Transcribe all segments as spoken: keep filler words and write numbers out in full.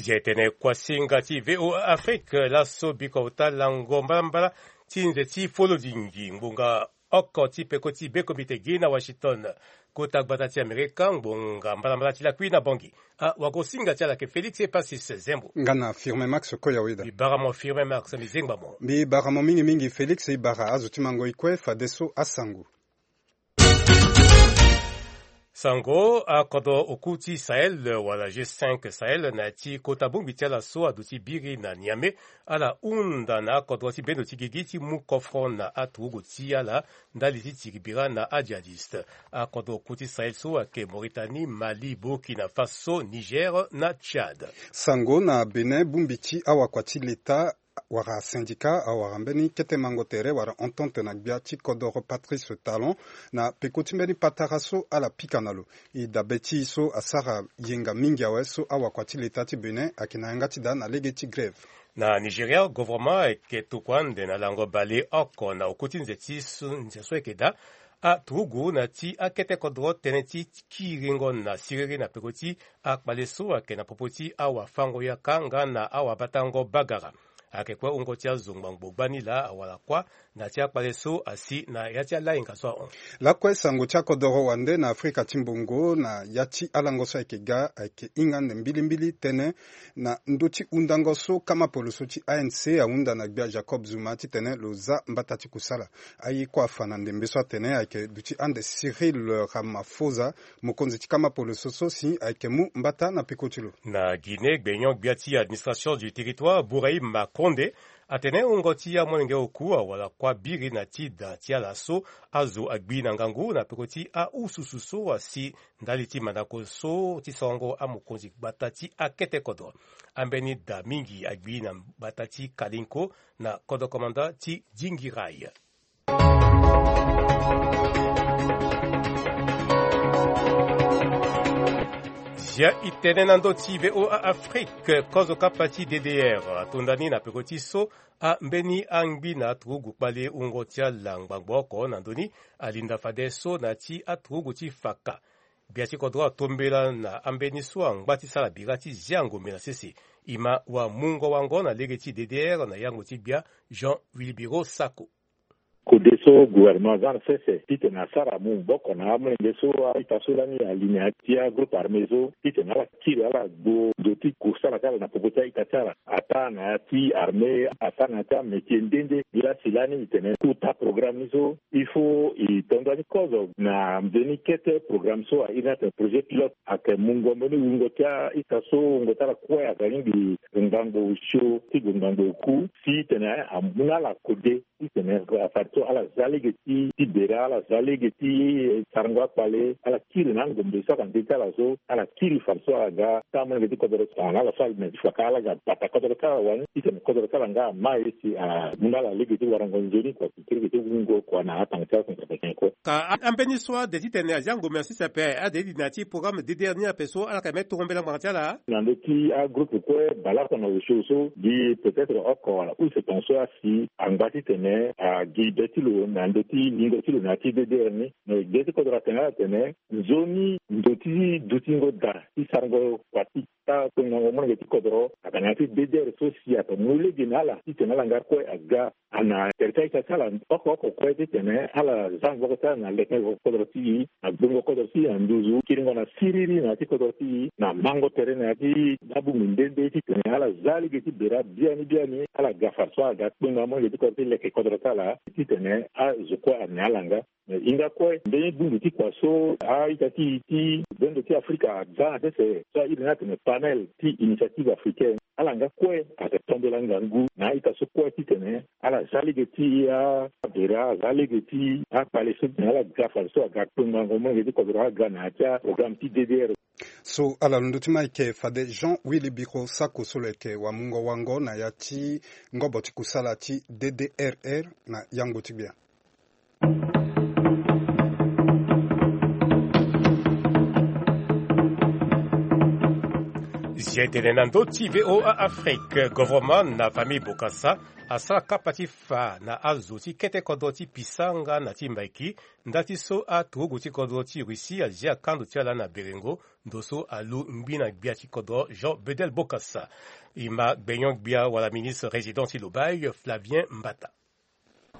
Zia etene kuasinga ti VOA Afrique laso biko ota lango mbalambala ti nze ti folodingi ngbonga oko ti peko ti bekomite gi na Washington. Kota gbata ti Amerika ngbonga mbalambala ti lakui na Bangui. Awagosinga ti ala ke Félix Epasis Zembo. Nga na Firmin Max Koyaweda. Mbi bara mo Firmin Max, mbi zengba mo. Mbi bara mo mingi mingi Félix, e bara azo ti mango e kue fadeso asango. Sango, akodro oku ti Sahel wala G cinq Sahel na ya ti kota bongbi ti ala so aduti biri na Niamey. Ala hunda na akodro ti bendo ti gigi ti mu kofro na aturugu ti ala ndali ti tiri bira na ajihadiste. Akodro oku ti Sahel so ayeke Mauritanie, Mali, Burkina Faso, Niger na Tchad. Sango na Bénin, bongbi ti awakua ti leta wala syndicat awara mbeni kete mango tere wala entente na gbia ti kodoro Patrice Talon na peko ti mbeni patara so ala pika na lo. E dabe ti e so asara yenga mingi awe so awakua ti leta ti Bénin ayeke na yanga ti daa na lege ti grève. Na Nigeria, gouvernement ayeke tokua ande na lango baleoko na oku ti nze ti so, nze so ayeke daa aturugu na ya ti akete kodro tënë ti kiringo na siriri na peko ti akpale so ayeke na popo ti awafango-yaka nga na awabatango bagara. Ayeke kue wungo ti azo ngbangbo gbani laa awara kuâ na ya ti akpale so asi na ya ti alayenga so ahon. Lakue sango ti akodoro wande na Afrika ti mbongo na ya ti alango so ayeke ga ayeke hinga ande mbilimbili tënë na ndö ti hundango so kama poloso ti A N C ahunda na gbia Jacob Zuma titene lo za mbata ti kusala. Aye kue afa na ndembe so atene ayeke duti ande Cyril Ramaphosa, mokonzi ti kama poloso so si ayeke mu mbata na peko ti lo. Na Guinée, gbenyon-gbia ti administration du territoire, Bouraïm Makonde, atene wungo ti amolenge oku awara kuâ biri na ti da ti ala so azo agbi na ngangu na peko ti aususu so asi ndali ti mandako so ti sorongo amokonzi gbata ti akete kodro. Ambeni da mingi agbi na gbata ti Kalinko na kodro komanda ti Dingirai. Zia e tene na ndö ti VOA Afrique, kozo kapa ti D D R atonda ni na peko ti so ambeni angbi na aturugu kpale wungo ti ala ngbangbo oko na ndö ni alinda fadeso na ya ti aturugu ti faka. Gbia ti kodro atombela na ambeni so angba ti sara bira ti zia ngombe na sese. E ma wamungo wango na lege ti D D R na yango ti gbia Jean Wilbiro Sako. Kode so gouvernement aza na sese titene asara mu maboko na amolenge so a-ita so lani ali na ya ti agroupe armé so titene ala kiri ala gbo ndo ti kusala ti ala na popo ti a-ita ti ala. Ataa na ya ti armée, ataa na ya ti amétier nde nde. Nde la si lani e tene kota programme ni so il faut e to nda ni kozo na nzoni kete programme so a iri ni atene projet pilote. Ayeke mungo mbeni wungo ti a-ita so wungo ti ala kue aga ni gi ngango osio ti gue ngango oku si tene amu na ala kode. Titene fadeso ala za lege ti ti bere, ala za lege ti sarango akpale, ala kiri na angombe so ayeke na nze ti ala so, ala kiri fadeso ala ga ti amolenge ti kodoro tongana ala so ali na ti faka ala ga bata kodoro ti ala wani titene kodoro ti ala nga ama ye si amu na ala lege ti warango nzoni kua si ti lege ti wungo kua na atanga ti ala so na tabeken kue. Ka a- ambeni so ade titene azia ngombe na sese ape ade ti di na ya ti programme D D R ni ape so ala yeke me tombela ngbanga ti ala. Na ndö ti agroupe kue baleoko na osio so gi peut-être oko wala use tongaso asi angba titene agi be ti lo na ndö ti lingo ti lo na ya ti D D R ni. Mais gbia ti kodro atene ala atene nzoni ndo ti dutingo da ti sarango kua ti ta kpengango molenge ti kodro aga na ya ti D D R so si ayeke mu lege na ala titene ala nga kue aga ana tere ti a-ita ti ala oko oko kue titene ala za maboko ti ala na leke kodro ti e, na gbongo kodro ti e na nduzu, kiringo na siriri na ya ti kodro ti e, na mango tere na ya ti abongbi nde nde titene ala za lege ti bere biani biani, ala ga fadeso aga kpengango molenge ti kodro ti leke kodro ti ala titene azo kue ane ala nga. Mais hinga kue mbeni bongbi ti kua so a-ita ti e ti bendo ti Afrika aza na sese so a iri ni atene panel ti initiative africaine, ala nga kue ayeke tombela ngangu na a-ita so kue titene ala za lege ti abere, aza lege ti akpale so titene ala ga fadeso aga kpengango molenge ti kodro aga na ya ti aprogramme ti D D R. So ala londo ti ma ayeke fade Jean Willy Biro Sako so lo yeke wamungo wango na ya ti ngobo ti kusala ti D D R R na yango ti gbia. Zia tene na ndö ti VOA Afrique, governement na famille Bokassa asara kapa ti fa na azo ti kete kodro ti Pisanga na ti Mbaiki, nda ti so aturugu ti kodro ti Russie azia kando ti ala na berengo, ndo so alu ngbi na gbia ti kodro Jean Bedel Bokassa. E ma gbenyo-gbia wala ministre résident ti Lobaye, Flavien Mbata.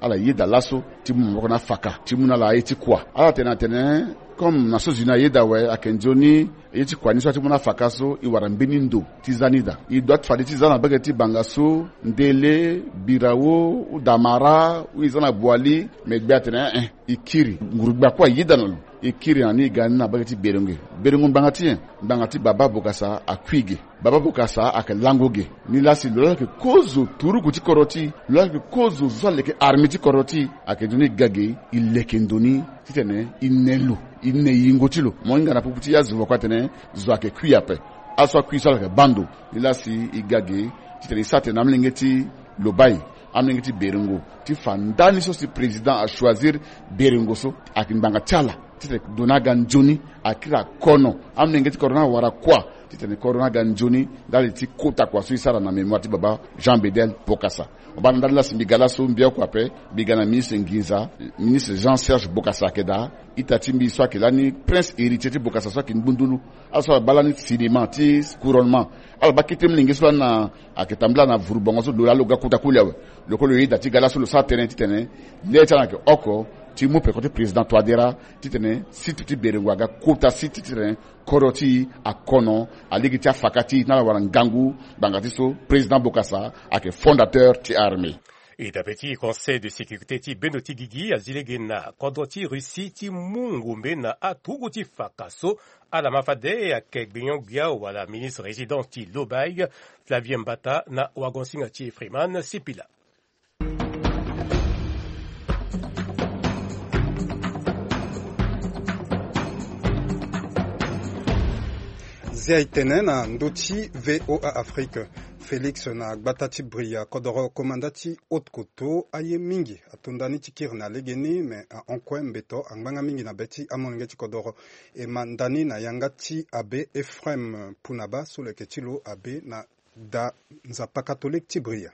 Ala yeda laso ti mu maboko na faka ti mu na ala aye ti kua. Ala tene atene, comme na so zuni ayeda awe, ayeke nzoni ye ti kua ni so ala ti mu na faka so e wara mbeni ndo ti za ni daa. E doit fade ti za na mbage ti Bangassou, Ndele, Birao, Damara, ou e za na Boali, me gbe atene, eh, eh, e kiri. Nguru-gbia kue ayeda na lo. E kiri na ni, e ga ni na mbage ti berengo. Berengo ngbanga ti nyen? Ngbanga ti Baba Bokassa akui ge. Baba Bokassa ayeke lango ge. Nilaa si lo laa ayeke kozo turugu ti kodro ti e, lo laa ayeke kozo zo aleke armée ti kodro ti e, ayeke nzoni e ga ge, e leke ndo ni titene e ne lo, e ne yingo ti lo. Mo hinga na popo ti e azo lo kue atene zo ayeke kui ape. Aso akui so ala yeke baa ndo. Nilaa si e ga ge titene e sara tene na amolenge ti Lobaye, amolenge ti berengo, ti fa ndani so si président achoisir berengo so, ayeke ngbanga ti ala titene ndo ni aga nzoni, akiri akono, amolenge ti kodro ni awara kua titene kodro ni aga nzoni, ndali ti kota kua so e sara na mémoire ti baba Jean Bedel Bokassa. Mo baa na ndali laa si mbi ga laso mbi oko ape, mbi ga na ministre nginza, ministre Jean Serge Bokassa ayeke daa, ita ti mbi so ayeke lani prince héritier ti Bokassa so ayeke ngbundulu. Ala so ala baa lani cinéma ti couronnement. Ala baa kete molenge so lani na, ayeke tambula na vuru bongo so lo laa lo ga kota koli awe. Lo kue lo yeda ti ga laso lo sara tënë titene le ti ala ayeke oko ti mu peko ti président Touadéra titene site ti berengo aga kota site titene kodro ti e akono, alege ti afaka ti e na ala wara ngangu, ngbanga ti so président Bokassa ayeke fondateur ti armée. E dabe ti conseil de sécurité ti bendo ti gigi azi lege na kodro ti Russie ti mu ngombe na aturugu ti faka so. Ala ma fade ayeke gbenyo-gbia wala ministre résident ti Lobaye, Flavien Mbata, na wagonsinga ti Freeman Sipila. Zia e tene na ndö ti VOA Afrique. Félix na gbata ti Bria, kodoro komanda ti Haute-Kotto, aye mingi ato ndani ti kiri na legeni, me ahon kue mbeto angbanga mingi na be ti amolenge ti kodoro. E ma ndani na yanga ti abbé Ephraim Punaba so lo yeke ti lo abbé na da Nzapa catholique ti Bria.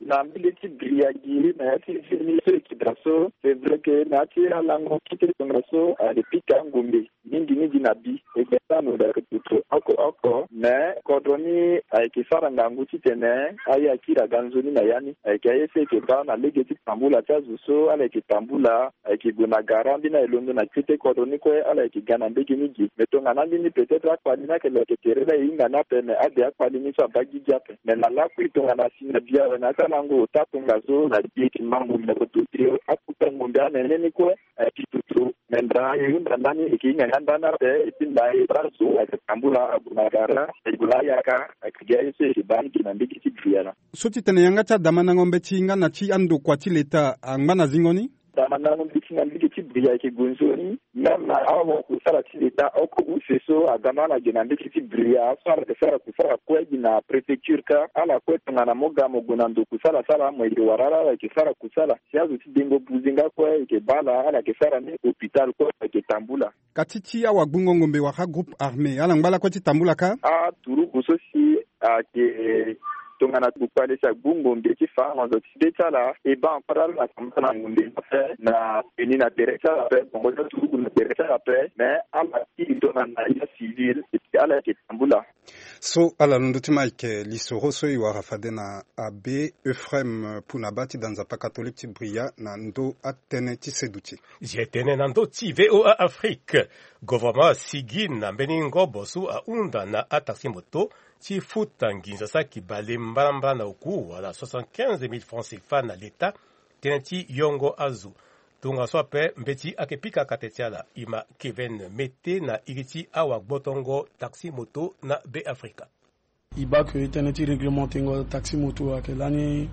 Na mbage ti Bria gi na ya ti zemi so e yeke daa so, c'est vrai que na ya ti alango kite tongaso ayeke pika ngombe mingi mingi na bi. E gbia ti angombe ayeke toto oko oko, mais kodro ni ayeke sara ngangu titene aye akiri aga nzoni na ya ni. Ayeke aye so e yeke baa na lege ti tambula ti azo so ala yeke tambula, ayeke gue na gara, ambeni aye londo na kete kodro ni kue, ala yeke ga na mbage ni gi. Mais tongana ambeni peut-être akpali ni ayeke lo yeke tere laa e hinga ni ape, mais ade akpali ni so abaa gigi ape. Mais na lakui tongana si na bi awe na ya ti alango ota tongaso na bi e yeke ma ngombe na koto ti akota ngombe anene ni kue, eh, ti tutu. Mais nda e hunda ndani e yeke hinga nga ndani ape, et puis nda e baa zo ayeke tambula ague na gara, e gue na ayaka, ayeke gi aye so e yeke baa ni gi na mbage ti Bria laa. So ti tene yanga ti adamandango mbeti nga na ti andokua ti leta angba na zingo ni? Damandango mbeti na mbage ti Bria ayeke gue nzoni. Même na awakusala ti leta oko use so agama ala ge na mbage ti Bria so ala yeke sara kusala kue gi na préfecture kâ, ala kue tongana mo ga mo gue na ndo kusala sala mo yeke wara ala, ala yeke sara kusala. Si azo ti dengo buze nga kue e yeke baa ala, ala yeke sara ni, hôpital kue ayeke tambula. Ka ti ti awagbungo ngombe wala groupe armé ala ngba lakue ti tambula kâ? Aturugu so si ayeke tongana gbukpale si agbu ngombe ti fa honzo ti be ti ala, e baa encore ala na tambula na ngombe ni ape, na peni na tere ti ala ape, bongo ti aturugu na tere ti ala ape, mais ala kiri tongana ya civil, et puis ala yeke tambula. So ala londo ti ma ayeke lisoro so e wara fade na abbé Ephraim Punaba ti da Nzapa catholique ti Bria na ndö atënë ti seduti. Zia e tene na ndö ti VOA Afrique. Gouvernement asigi na mbeni ngobo so ahunda na ataxi moto ti futa nginza saki bale mbalambala na oku wala soixante-quinze mille francs CFA na leta, tënë ti yongo azo. Tongaso ape mbeti ayeke pika kate ti ala. E ma Kevin Mete na iri ti awagbotongo taxi moto na Beafrika. E baa ke tënë ti réglementengo taxi moto ayeke lani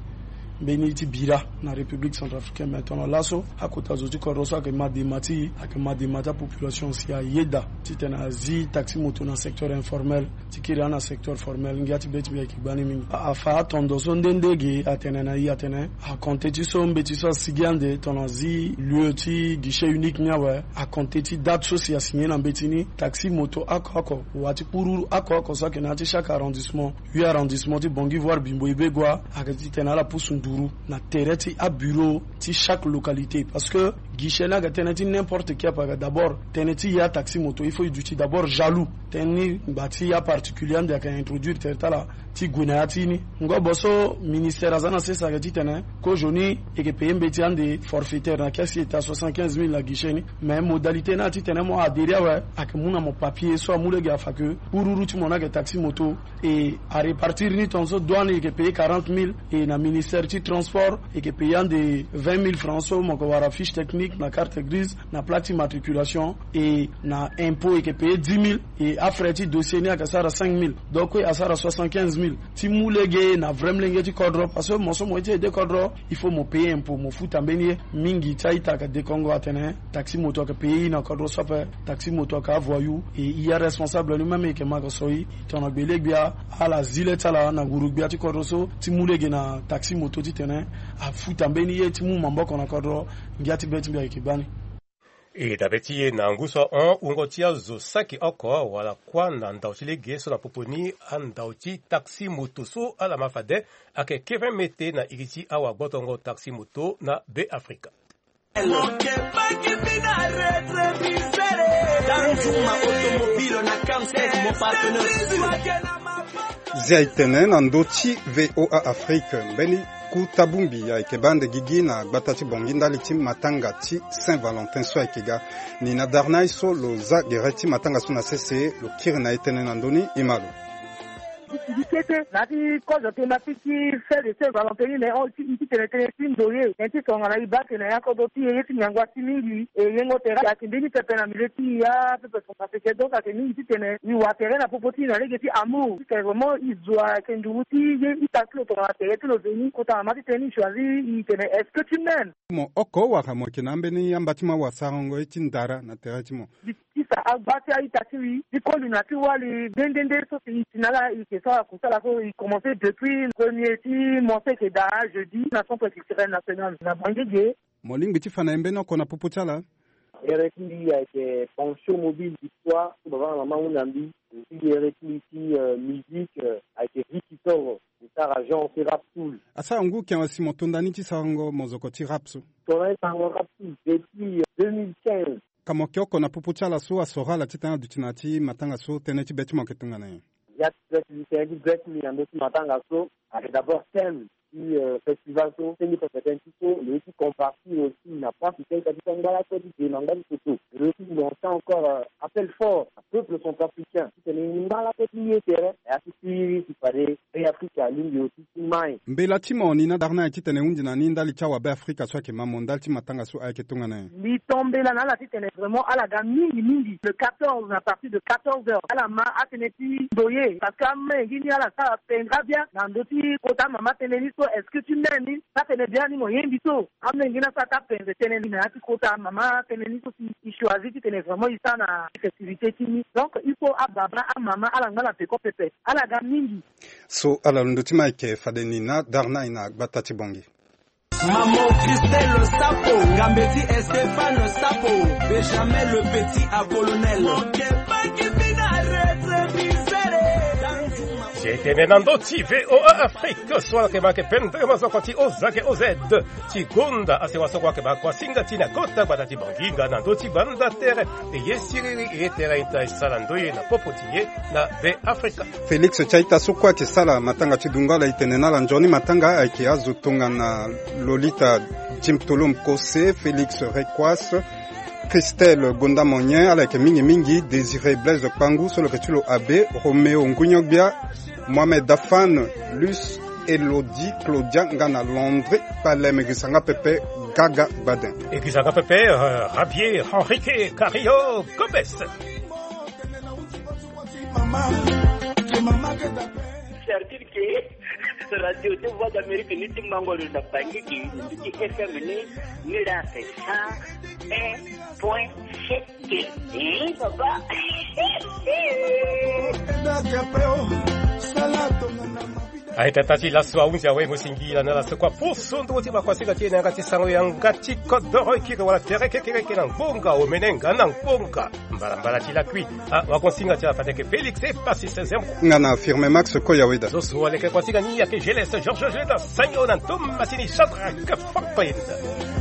Mbeni ti bira na République centrafricaine, mais tongana laso akota zo ti kodro so ayeke ma dema ti e, ayeke ma dema ti apopulation si ayeda titene azi taxi moto na secteur informel ti kiri ana secteur formel. Ngia ti be ti mbi ayeke gbani mingi. Afa atondo so nde nde ge atene na e atene akonte ti so mbeti so asigi ande tongana azi lieu ti guichet unique ni awe. Akonte ti date so si asigné na mbeti ni, taxi moto oko oko, wa ti kpururu oko oko so ayeke na ya ti chaque arrondissement, huit arrondissement ti Bangui voire Bimbo Ibegua, ayeke titene ala pusu nduru na tere ti abureau ti chaque localité. Parce que guichet ni ayeke tënë ti n'importe qui ape. Ayeke d'abord tënë ti ya taxi moto, il faut e duti d'abord jaloux. Tënë ni ngba ti ya particulier ande ayeke introduire tere ti ala ti gue na ya ti ni. Ngobo so ministère aza na sese ayeke titene kozoni e yeke paye mbeti ande forfaitaire na kesi ete a soixante-quinze mille na guichet ni. Mais modalité ni atitene mo adhérer awe, ayeke mu na mo papier so amu lege afa ke kpururu ti mo ni ayeke taxi moto. E arépartir ni tongaso douane e yeke paye quarante mille, e na ministère ti transport e yeke paye ande vingt mille francs so mo yeke wara fiche technique na carte grise na plaque ti matriculation, e na impôt e yeke paye dix mille, e afrais ti dossier ni ayeke sara cinq mille. Donc kue asara soixante-quinze mille ti mu lege na vrai molenge ti kodro. Parce que mo so mo ye ti aide kodro, il faut mo paye impôt, mo futa mbeni ye. Mingi ti a-ita ayeke dekongo atene taxi moto ayeke paye e na kodro so ape. Taxi moto ayeke avoyou. E e aresponsable ni même e yeke ma yeke so e tongana gbele-gbia ala zi le ti ala na nguru-gbia ti kodro so ti mu lege na taxi moto titene afuta mbeni ye ti mu maboko na kodro. Ngia ti be ti mbi ayeke gbani. E dabe ti e na ngu so ahon wungo ti azo saki oko wala kuâ na ndau ti lege so na popo ni andau ti taxi moto so ala ma fade ayeke kiri mete na iri ti awagbotongo taxi moto na Beafrika. Zia e tene na ndö ti VOA Afrique mbeni kuta bongbi ayeke baa ande gigi na gbata ti Bangui ndali ti matanga ti Saint Valentin so ayeke ga. Ni na Darnay so lo za gere ti matanga so na sese lo kiri na e tënë na ndö ni, e ma lo. Mbi kete na ya ti kozo thématique ti fête de Saint Valentin ni, na e hon ti tene tënë ti ndoye, tënë ti tongana e baa tene na ya kodro ti e ye ti ngangu asi mingi. E yengo tere ayeke mbeni pepe na milieu ti e apepe. Centrafricain, donc ayeke mingi titene e wa tere na popo ti e na lege ti amour titene vraiment e zo ayeke nduru ti ye ita ti lo tongana tere ti lo veni kota mama titene e choisir e tene est-ce que tu m'aimes? Mo oko wala mo yeke na ambeni amba ti mo awasarango ye ti ndara na tere ti mo? Mbi tisa agba ti a-ita ti mbi ti koli na ti wali nde nde nde so si e ti na ala e yeke so ala kusala so e commencer depuis premier ti mo so e yeke daa jeudi na centre culturel national na Bangui ge. Mo lingbi ti fa na e mbeni oko na popo ti ala? Ere ti mbi ayeke Pension Mobile Victoire so baba na mama ahunda mbi. Aussi ere ti mbi ti, euh, musique, euh, ayeke Ricky Toro, e sara genre ti rap soul. Asara ngu ken si mo to nda ni ti sarango mozoko ti rap so? Tongana e sarango rap soul depuis, euh, deux mille quinze. Ka mo yeke oko na popo ti ala so asoro ala titene aduti na ya ti matanga so, tënë ti be ti mo ayeke tongana nyen? Ya ti be ti mbi, tënë ti be ti mbi na ndö ti matanga so ayeke d'abord thème ti, euh, festival so, tënë ti pepe tënë ti so lo ye ti compartir aussi na pasi tënë ti angba lakue ti de na angba ti toto. Lo ye ti lancer encore, euh, appel fort na peuple centrafricain titene e ngba lakue ti ye tere. Ya ti siriri si fade Beafrika alingbi aussi ti mai. Mbela ti mo ni na Darnay titene e hunzi na ni ndali ti awabe Afrika so ayeke ma mo ndali ti matanga so ayeke tongana nyen? Mbi to mbela na ala titene vraiment ala ga mingi mingi le quatorze, à partir de quatorze heures ala ma atënë ti ndoye, parce que amenge ni ala sara pendra bien na ndö ti kota mama tënë ni so, est-ce que tu m'aimes ni? Sa tene biani mo ye mbi so. Amenge ni asara ti apenze tënë ni na ya ti kota mama tënë ni so si e choisir titene vraiment e sara na festivité ti ni. Donc il faut ababa amama ala ngba na peko pepe, ala ga mingi. So ala londo ti ma ayeke fade ni na Darnay na gbata ti Bangui. Maman Christelle Sapo, Ngambeti Stéphane Sapo, Benjamin le petit à colonel. Tene na ndö ti VOA Afrique so ala yeke ma yeke pendere mazoko ti O Z ke O Z ti gonda asewa so kua yeke ma kuasinga ti na kota gbata ti Bangui nga na ndö ti gbanda tere. E ye siriri e ye tere ita e sara ndoye na popo ti e na Beafrika. Félix ti a-ita so kue ayeke sara matanga ti dungo ala e tene na ala nzoni matanga ayeke azo tongana Lolita Jim Tolom Kose, Félix Requas, Christelle Gonda Monyen, ala yeke mingi mingi Désiré Blaise Kpangu so lo yeke ti lo abe, Roméo Ngugnogbia, Mohamed Dafan, Luce, Elodie Claudia nga na Landry Palem. E girisa nga pepe, Gaga Gbadin. E girisa nga pepe, euh, Javier Henrique Cario Gomez. Certitude que Radio de Voix d'Amérique ni ti mango lo na Bangui, ni ti F M ni, ni la c'est cent un point sept. Eh, papa. Aye tata ti laso ahunzi awe mo singila na laso kua poso ndongo ti makuasinga ti e na yanga ti sango yanga ti kodoro e kiri wala tere kekereke na ngbonga omene nga na ngbonga. Mbalambala ti lakui. Ah, wakonsinga ti afandeke Félix e pasi seizième. Nga na affirme Max Koyaweda. Zozo aleke konsinga ni yake Gelès Georges Jeda sango na ntomasini Shadrack Fakoyenda.